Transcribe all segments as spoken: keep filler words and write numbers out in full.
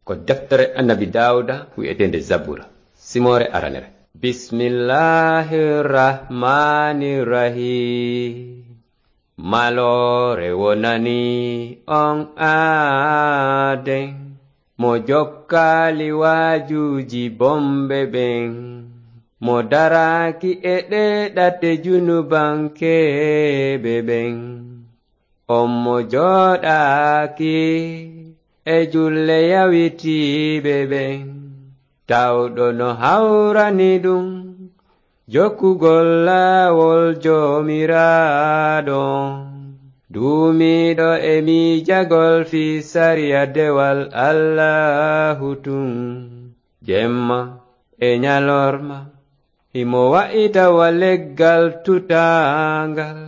Ko deftere Annabi Daawuda wi'eteende Zabura, simoore aranere. Bismillahir Rahmanir Rahim. Maloore wonani on aaden, mo jokkaali waajuuji bonɓe ɓen, mo daraaki e ɗee ɗate junubankeeɓe ɓen. On mo jooɗaaki e julle yawitiiɓe ɓen, tawɗo no hawrani ɗum jokkugol laawol Joomiraaɗo. Duumiiɗo e miijagol fii sariya dewal Allaahu tun, jemma e ñalorma, himo wa'ita wa leggal tutaangal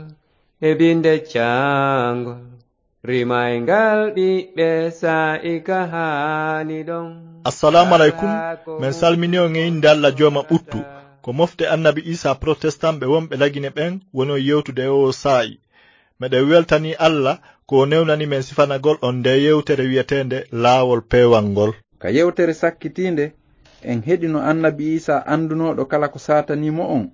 e binde caangol, rimayngal ɓiɓɓe saa'i ka haani ɗon. Assalamu alaikum. Men salmini on e innde Alla Jooma ɓuttu. Ko mofte Annabi Isa Protestant ɓe wonɓe Lagine ɓen woni on yewtude e oo saa'i. Meɗen weltanii Alla ko o newnani men sifanagol on ndee yewtere wi'eteende Laawol Peewal ngol. Ka yewtere sakkitiinde, en heɗino Annabi Iisaa anndunooɗo kala ko saatanii mo on.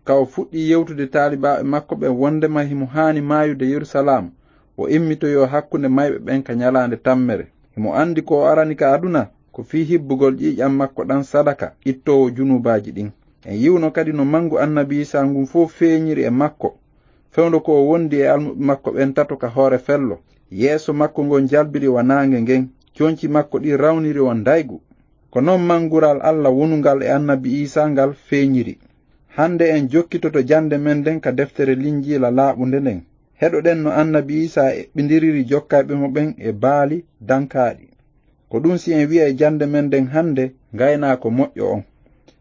Ka o fuɗɗii yewtude taalibaaɓe makko ɓen wonndema himo haani maayude Yerusalaam, o immitoyoo hakkunde mayɓe ɓen ka ñalaande tammere. Himo anndi ko o arani ka aduna, ko fii hibbugol ƴiiƴan makko ɗan sadaka, ittoowo junuubaaji ɗin. En yi'uno kadi no manngu Annabi Iisaa ngun fow feeñiri e makko, fewndo ko o wondi e almuɓɓe makko ɓen tato ka hoore fello. Yeeso makko ngon jalbiri wa naange ngen, conci makko ɗin rawniri wa ndaygu. Ko non manngural Alla wonungal e Annabi Iisaa ngal feeñiri. Hande en jokkitoto jannde men nden ka deftere Linjiila laaɓunde nden. Heɗoɗen no Annabi Iisaa eɓɓindiriri jokkayɓe mo ɓen e baali dankaaɗi. Ko ɗun si en wi'ay jannde men nden hande ngaynaako moƴƴo on.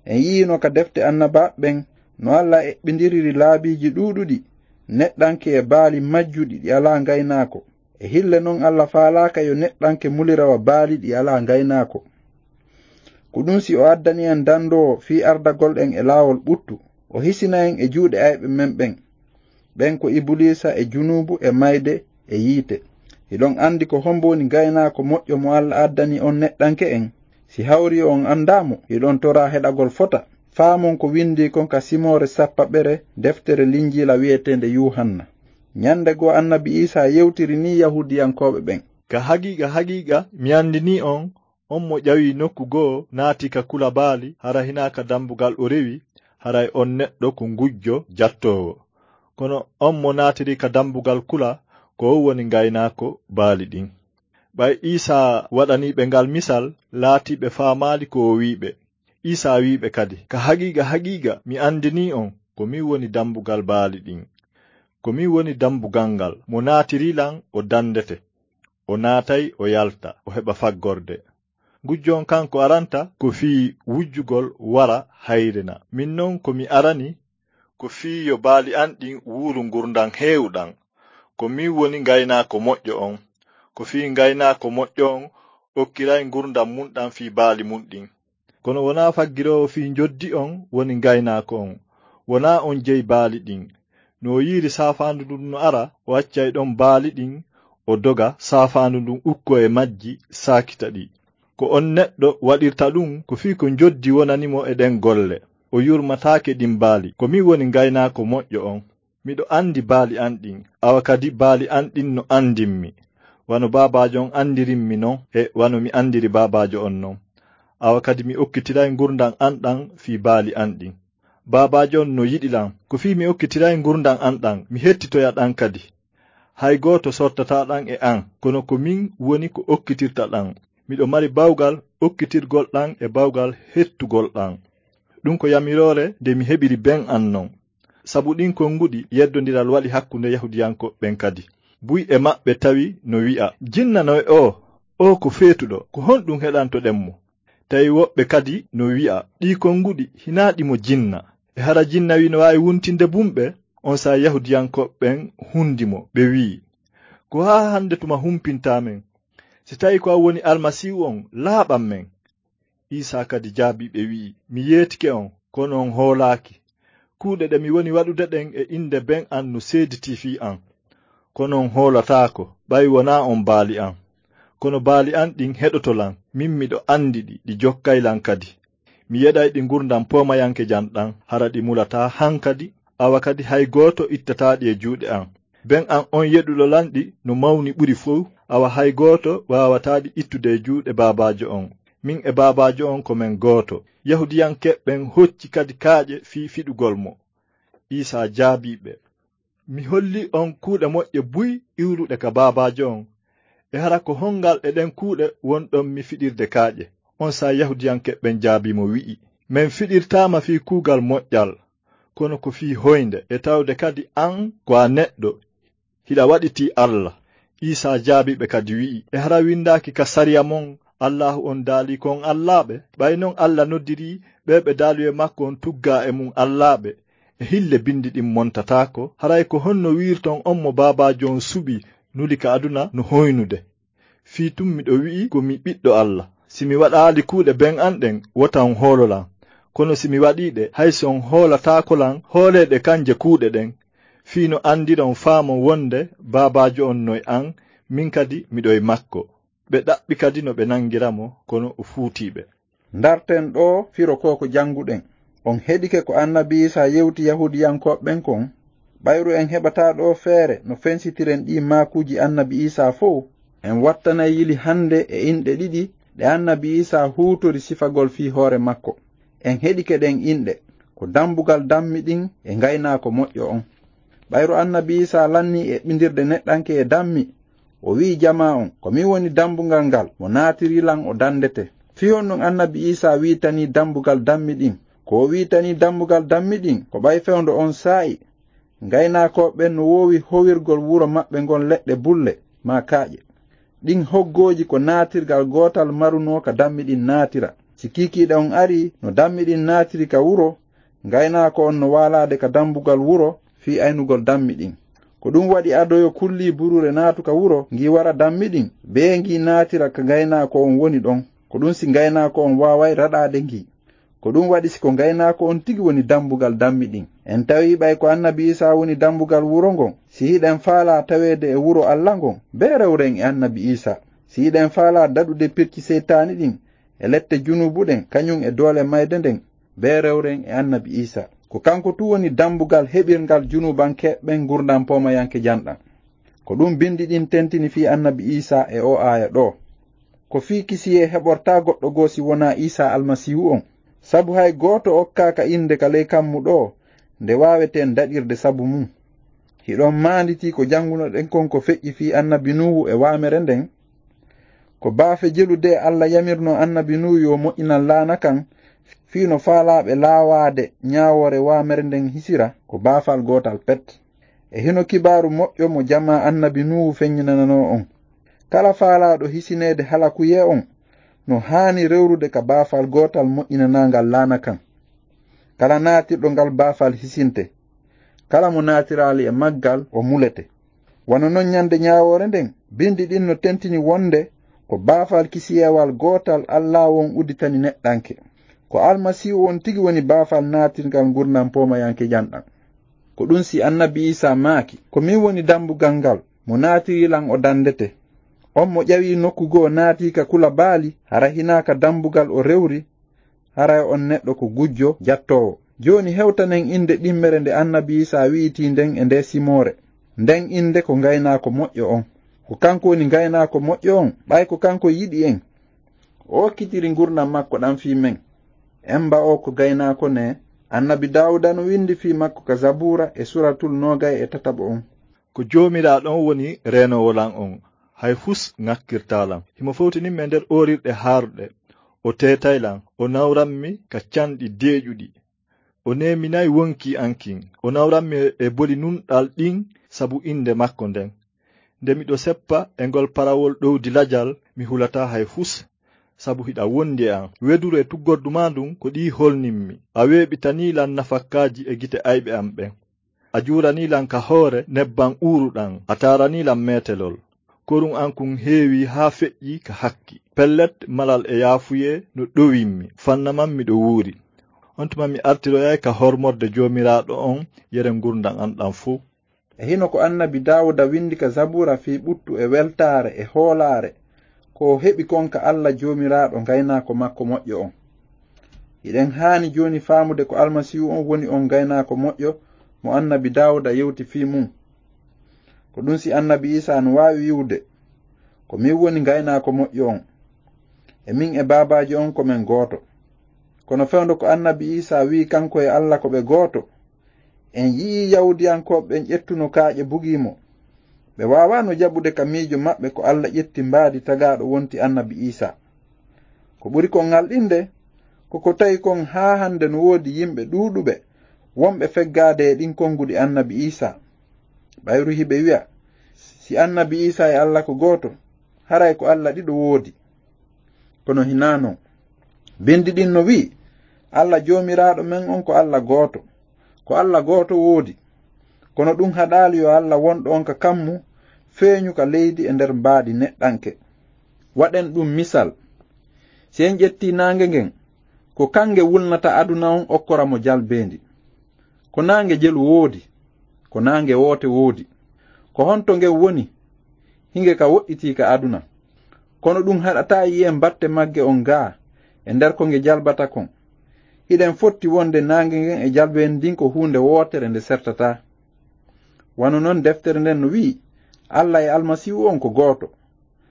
En yi'ino ka defte annabaaɓe ɓen no Alla eɓɓindiriri laabiiji ɗuuɗuɗi, neɗɗanke e baali majjuɗi ɗi alaa ngaynaako. E hille non Alla faalaaka yo neɗɗanke mulira wa baali ɗi alaa ngaynaako. Ko ɗun si o addani en dandoowo fii ardagol en e laawol ɓuttu, o hisina en e juuɗe ayɓe men ɓen. Ɓen ko Ibuliisa e junuubu e mayde e yiite. Hiɗon andi ko hombo woni ngaynaako moƴƴo mo Alla addani on neɗɗanke en? Si hawri on andaa mo, hiɗon toraa heɗagol fota. Faamon ko windii kon ka simoore sappaɓere deftere Linjiila wi'eteende Yuuhanna. Ñande goo Annabi Iisaa yewtiri nii Yahuudiyankooɓe ɓen. Ka haqiiqa, haqiiqa, mi andinii on, on mo ƴawi nokku goo naati ka kula baali, hara hinaa ka dambugal o rewi, haray on neɗɗo ko ngujjo jattoowo. Kono on mo naatiri ka dambugal kula, ko on woni ngaynaako baali ɗin. Ɓay Iisaa waɗanii ɓe ngal misal, laatii ɓe faamaali ko o wi'i ɓe. Iisaa wi'i ɓe kadi, ka haqiiqa, haqiiqa, mi andinii on, ko min woni dambugal baali ɗin. Ko min woni dambugal ngal, mo naatirii lan o dandete. O naatay, o yalta, o heɓa faggorde. Ngujjo on kan ko aranta ko fii wujjugol wara hayrena. Min non ko mi arani ko fii yo baali an ɗin wuuru ngurndan heewuɗan. Ko min woni ngaynaako moƴƴo on. Ko fii ngaynaako moƴƴo on okkiray ngurndan mun ɗan fii baali mun ɗin. Kono wonaa faggiroowo fii njoddi on woni ngaynaako on. Wonaa on jeyi baali ɗin. No o yi'iri saafaandu ndun no ara, o accay ɗon baali ɗin, o doga, saafaandu ndun ukkoo e majji, saakita ɗi. Ko on neɗɗo waɗirta ɗun ko fii ko njoddi wonani mo e ɗen golle. O yurmataake ɗin baali. Ko min woni ngaynaako moƴƴo on. Miɗo andi baali an ɗin, awa kadi baali an ɗin no andimmi. Wano baabaajo on andirimmi non, e wano mi andiri baabaajo on non. Awa kadi mi okkitiray ngurndan an ɗan fii baali an ɗin. Baabaajo on no yiɗi lan. Ko fii mi okkitiray ngurndan an ɗan, mi hettitoya ɗan kadi. Hay gooto sortataa ɗan e an, kono ko min woni ko okkitirta ɗan. Miɗo mari bawgal okkitirgol ɗan e bawgal hettugol ɗan. Ɗun ko yamiroore nde mi heɓiri ben an non. Sabu ɗin konguɗi yeddondiral waɗi hakkunde Yahuudiyankooɓe ɓen kadi. Buy e maɓɓe tawi no wi'a, "Jinna no e oo, oo ko feetuɗo, ko honɗun heɗantoɗen mo?" Tawi woɓɓe kadi no wi'a, "Ɗii konguɗi hinaa ɗi mo jinna. E hara jinna wi no waawi wuntinde bumɓe?" On saa'i Yahuudiyankooɓe ɓen hundi mo, ɓe wi'i, "Ko haa hande tuma humpintaa men? Si tawi ko an woni Almasiihu on, laaɓan men." Iisaa kadi jaabii ɓe wi'i, "Mi yeetike on, kono on hoolaaki. Kuuɗe ɗe mi woni waɗude ɗen e innde ben an no seeditii fii an. Kono on hoolataako, ɓay wonaa on baali an. Kono baali an ɗin heɗoto lan, min miɗo andi ɗi, ɗi jokkay lan kadi. Mi yeɗay ɗi ngurndan poomayankejan ɗan, hara ɗi mulataa hankadi, awa kadi hay gooto ittataa ɗi e juuɗe an. Ben an on yeɗuɗo lan ɗi no mawni ɓuri fow, awa hay gooto waawataa ɗi ittude e juuɗe Baabaajo on. Min e Baabaajo on ko men gooto. Yahuudiyankeeɓe ɓen hocci kadi kaaƴe fii fiɗugol mo. Iisaa jaabii ɓe, "Mi holli on kuuɗe moƴƴe buy iwruɗe ka Baabaajo on. E hara ko hongal e ɗen kuuɗe wonɗon mi fiɗirde kaaƴe?" Onsay Yahuudiyankeeɓe ɓen jaabii mo, wi'i, "Men fiɗirtaa ma fii kuugal moƴƴal, kono ko fii hoynde, e tawde kadi an ko a neɗɗo, hiɗa waɗitii Alla." Iisaa jaabii ɓe kadi, wi'i, "E hara windaaki ka sariya mon, Allaahu on daalii ko on allaaɓe? Ɓay non Alla noddirii ɓee ɓe daaluyee makko on tuggaa e mun allaaɓe, e hille bindi ɗin montataako. Haray ko honno wi'irton on mo Baabaajo on suɓii, nuli ka aduna no hoynude? Fii tun miɗo wi'i ko mi ɓiɗɗo Alla. Si mi waɗaali kuuɗe ben an ɗen, wota on hoolo lan. Kono si mi waɗii ɗe, hay si on hoolataako lan, hoolee ɗe kanje kuuɗe ɗen, fii no andiron faamon wonde Baabaajo on no e an, min kadi miɗo e makko." Ɓe ɗaɓɓi kadi no ɓe nangira mo, kono o fuutii ɓe. Ndarten ɗoo firo ko ko jannguɗen. On heɗike ko Annabi Iisaa yewti Yahuudiyankooɓe ɓen kon? Ɓayru en heɓataa ɗoo feere no fensitiren ɗii maakuuji Annabi Iisaa fow, en wattanay yili hannde e inɗe ɗiɗi ɗe Annabi Iisaa huutori sifagol fii hoore makko. En heɗike ɗen inɗe, ko dambugal dammiɗin e ngaynaako moƴƴo on. Ɓayru Annabi Iisaa lannii eɓɓindirde neɗɗanke e dammi, o wi'i jamaa on, "Ko min woni dambugal ngal, mo naatiri lan o dandete." Fii honɗun Annabi Iisaa wi'itanii dambugal dammiɗin? Ko o wi'itanii dambugal dammiɗin, ko ɓay fewndo on saa'i, ngaynaakooɓe ɓen no woowi howirgol wuro maɓɓe ngon leɗɗe bulle, maa kaaƴe. Ɗin hoggooji ko naatirgal gootal marunoo ka dammiɗin naatira. Si kiikiiɗe on arii no dammiɗin naatiri ka wuro, ngaynaako on no waalaade ka dambugal wuro fii aynugol dammiɗin. Ko ɗun waɗi ado yo kullii buruure naatu ka wuro, ngi wara dammiɗin, bee ngi naatira ka ngaynaako on woni ɗon. Ko ɗun si ngaynaako on waaway raɗaade ngi. Ko ɗun waɗi si ko ngaynaako on tigi woni dambugal dammiɗin. En tawii ɓay ko Annabi Iisaa woni dambugal wuro ngon, si hiɗen faalaa taweede e wuro Alla ngon, bee rewren e Annabi Iisaa. Si hiɗen faalaa daɗude pirci seytaani ɗin, e lette junuubu ɗen, kañun e doole mayde nden, bee rewren e Annabi Iisaa. Ko kanko tun woni dambugal heɓirngal junuubankeeɓe ɓen ngurndan poomayankejan ɗan. Ko ɗun bindi ɗin tentini fii Annabi Iisaa e oo aaya ɗoo. Ko fii kisiyee heɓortaa goɗɗo goo si wonaa Iisaa Almasiihu on. Sabu hay gooto okkaaka innde ka ley kammu ɗoo, nde waaweteen daɗirde sabu mun. Hiɗon maanditii ko janngunoɗen kon ko feƴƴi fii Annabi Nuuhu e waamere nden? Ko baafe jelude Alla yamirnoo Annabi Nuuhu yo moƴƴinan laana kan, fii no faalaaɓe laawaade ñaawoore waamere nden hisira, ko baafal gootal pet. E hino kibaaru moƴƴo mo jamaa Annabi Nuuhu feññinananoo on. Kala faalaaɗo hisineede halakuyee on, no haani rewrude ka baafal gootal moƴƴinanaangal laana kan. Kala naatirɗo ngal baafal hisinte. Kala mo naatiraali e maggal, o mulete. Wano non ñande ñaawoore nden, bindi ɗin no tentini wonde ko baafal kisiyeewal gootal Allaahu on udditani neɗɗanke. Ko Almasiihu on tigi woni baafal naatirngal ngurndan poomayankejan ɗan. Ko ɗun si Annabi Iisaa maaki, "Ko min woni dambugal ngal, mo naatiri lan o dandete. On mo ƴawi nokku goo naati ka kula baali, hara hinaa ka dambugal o rewri, haray on neɗɗo ko gujjo jattoowo." Jooni hewtanen innde ɗimmere nde Annabi Iisaa wi'itii nden e ndee simoore. Nden innde ko Ngaynaako Moƴƴo on. Ko kanko woni Ngaynaako Moƴƴo on, ɓay ko kanko yiɗi en. O okkitiri ngurndan makko ɗan fii men. Emba o ko gaynaako ne, Annabi Daawuda no windi fii makko ka Zabuura e Suuratul noogay e tataɓo on. Ko Joomiraaɗo on woni reenoowo lan on, hay fus ŋakkirtaa lan. Himo fowtini mi e nder oorirɗe haaruɗe. O teetay lan, o nawran mi ka canɗi deeƴuɗi. O neeminay wonkii an kin. O nawran mi e boli nunɗal ɗin sabu innde makko nden. Nde miɗo seppa e ngol parawol ɗowdi lajal, mi hulataa hay fus, sabu hiɗa wondi e an. Weduru e tuggordu maa ndun ko ɗi holnin mi. A weeɓitanii lan nafakkaaji e gite ayɓe an ɓen. A juuranii lan ka hoore nebban uuruɗan, a taaranii lan meetelol. Korun an kun heewii haa feƴƴii ka hakki. Pellet, malal e yaafuyee no ɗowin mi, fannaman miɗo wuuri. On tuma mi artiroyay ka hormorde Joomiraaɗo on yere ngurndan an ɗan fow. E hino ko Annabi Daawuda windi ka Zabuura fii ɓuttu e weltaare e hoolaare, ko o heɓi kon ka Alla Joomiraaɗo ngaynaako makko moƴƴo on. Hiɗen haani jooni faamude ko Almasiihu on woni on ngaynaako moƴƴo mo annabi Daawuda yewti fii mun. Ko ɗun si annabi Iisaa no waawi wi'ude, "Ko min woni ngaynaako moƴƴo on. E min e Baabaajo on ko men gooto." Kono fewndo ko annabi Iisaa wi'i kanko e Alla ko ɓe gooto, en yi'ii Yahuudiyankooɓe ɓen ƴettuno kaaƴe bugii mo. Ɓe waawaano jaɓude ka miijo maɓɓe ko Alla ƴetti mbaadi tagaaɗo wonti annabi Iisaa. Ko ɓuri kon ŋalɗinde, ko ko tawi kon haa hande no woodi yimɓe ɗuuɗuɓe wonɓe feggaade e ɗin konguɗi annabi Iisaa. Ɓayru hiɓe wi'a, "Si annabi Iisaa e Alla ko gooto, haray ko Alla ɗiɗo woodi." Kono hinaa non. Bindi ɗin no wi'i, "Alla Joomiraaɗo men on ko Alla gooto." Ko Alla gooto woodi. Kono ɗun haɗaali yo Alla wonɗo on ka kammu feeñu ka leydi e nder mbaadi neɗɗanke. Waɗen ɗun misal. Si en ƴettii naange ngen, ko kan nge wulnata aduna on okkora mo jalbeendi. Ko naange jelu woodi, ko naange woote woodi. Ko honto ngen woni? Hinge ka woɗɗitii ka aduna. Kono ɗun haɗataa yi'en batte magge on gaa e nder ko nge jalbata kon. Hiɗen fotti wonde naange ngen e jalbeendi ndin ko huunde wootere nde sertataa. Wano non deftere nden no wi'i, "Alla e Almasiihu on ko gooto."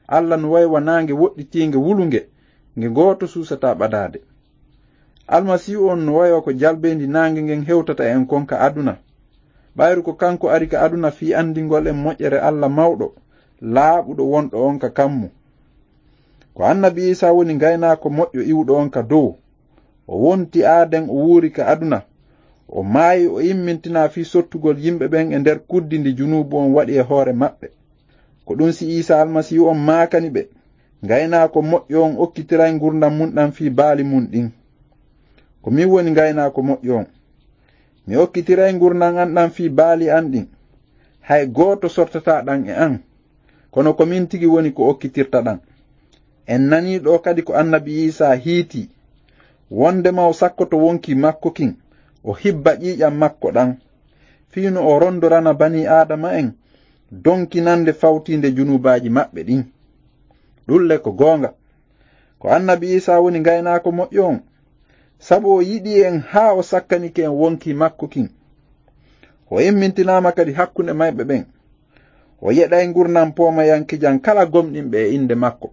Alla no wayi wa naange woɗɗitiinge wulunge, nge gooto suusataa ɓadaade. Almasiihu on no wayi wa ko jalbeendi naange ngen hewtata en kon ka aduna. Ɓayru ko kanko ari ka aduna fii andingol en moƴƴere Alla mawɗo, laaɓuɗo wonɗo on ka kammu. Ko annabi Iisaa woni ngaynaako moƴƴo iwuɗo on ka dow. O wonti Aaden, o wuuri ka aduna. O maayi, o immintinaa fii sottugol yimɓe ɓen e nder kuddi ndi junuubu on waɗi e hoore maɓɓe. Ko ɗun si Iisaa Almasiihu on maakani ɓe, "Ngaynaako moƴƴo on okkitiray ngurndan mun ɗan fii baali mun ɗin." Ko min woni ngaynaako moƴƴo on. Mi okkitiray ngurndan an ɗan fii baali an ɗin. Hay gooto sortataa ɗan e an. Kono ko min tigi woni ko okkitirta ɗan. En nanii ɗoo kadi ko annabi Iisaa hiitii, wondema o sakkoto wonkii makko kin, o hibba ƴiiƴan makko ɗan, fii no o rondorana banii Aadama en donkinande fawtiinde junuubaaji maɓɓe ɗin. Ɗun le ko goonga. Ko annabi Iisaa woni ngaynaako moƴƴo on, sabu o yiɗi en haa o sakkanike en wonkii makko kin. O immintinaama kadi hakkunde mayɓe ɓen. O yeɗay ngurndan poomayankejan kala gomɗinɓe e innde makko.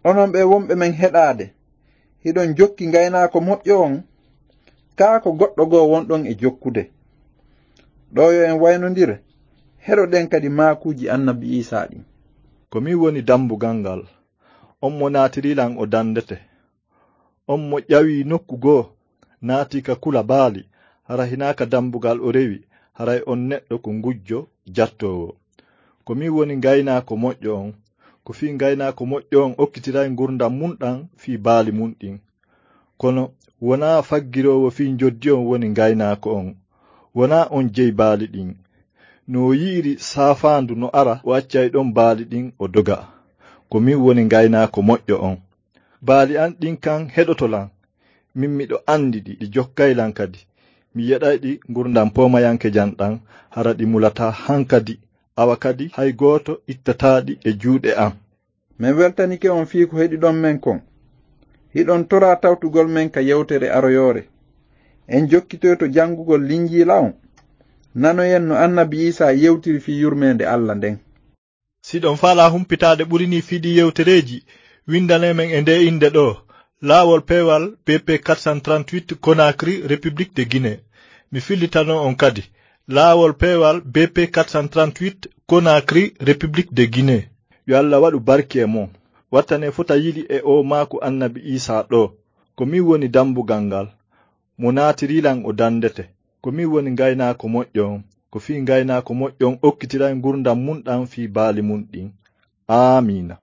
Onon ɓee wonɓe men heɗaade, hiɗon jokki ngaynaako moƴƴo on, kaa ko goɗɗo goo wonɗon e jokkude? Ɗoo yo en waynondir, heɗoɗen kadi maakuuji annabi Iisaa ɗin. Ko min woni dambugal ngal. On mo naatiri lan o dandete. On mo ƴawi nokku goo, naati ka kula baali, hara hinaa ka dambugal o rewi, haray on neɗɗo ko ngujjo jattoowo. Ko min woni ngaynaako moƴƴo on. Ko fii ngaynaako moƴƴo on okkitiray ngurndan mun ɗan fii baali mun ɗin. Kono wonaa faggiroowo fii njoddi on woni ngaynaako on. Wonaa on jeyi baali ɗin. No o yi'iri saafaandu no ara, o accay ɗon baali ɗin, o doga. Ko min woni ngaynaako moƴƴo on. Baali an ɗin kan heɗoto lan. Min miɗo andi ɗi, ɗi jokkay lan kadi. Mi yeɗay ɗi ngurndan poomayankejan ɗan, hara ɗi mulataa hankadi, awa kadi hay gooto ittataa ɗi e juuɗe an. Men weltanike on fii ko heɗiɗon men kon. Hiɗon toraa tawtugol men ka yewtere aroyoore. En jokkitoyto jangugol Linjiila on. Nanoyen no annabi Iisaa yewtiri fii yurmeende Alla nden. Si ɗon faalaa humpitaade ɓuri nii fii ɗii yewtereeji, windanee men e ndee innde ɗoo, Laawol Peewal B P quatre cent trente-huit, Conakry, République de Guinée. Mi fillitano on kadi, Laawol Peewal B P quatre cent trente-huit, Conakry, République de Guinée. Yo Alla waɗu barki e mon. Wattanee fota yili e oo maaku annabi Iisaa ɗoo. Ko min woni dambugal ngal. Mo naatiri lan o dandete. Ko min woni ngaynaako moƴƴo on. Ko fii ngaynaako moƴƴo on okkitiray ngurndan mun ɗan fii baali mun ɗin. Aamiina.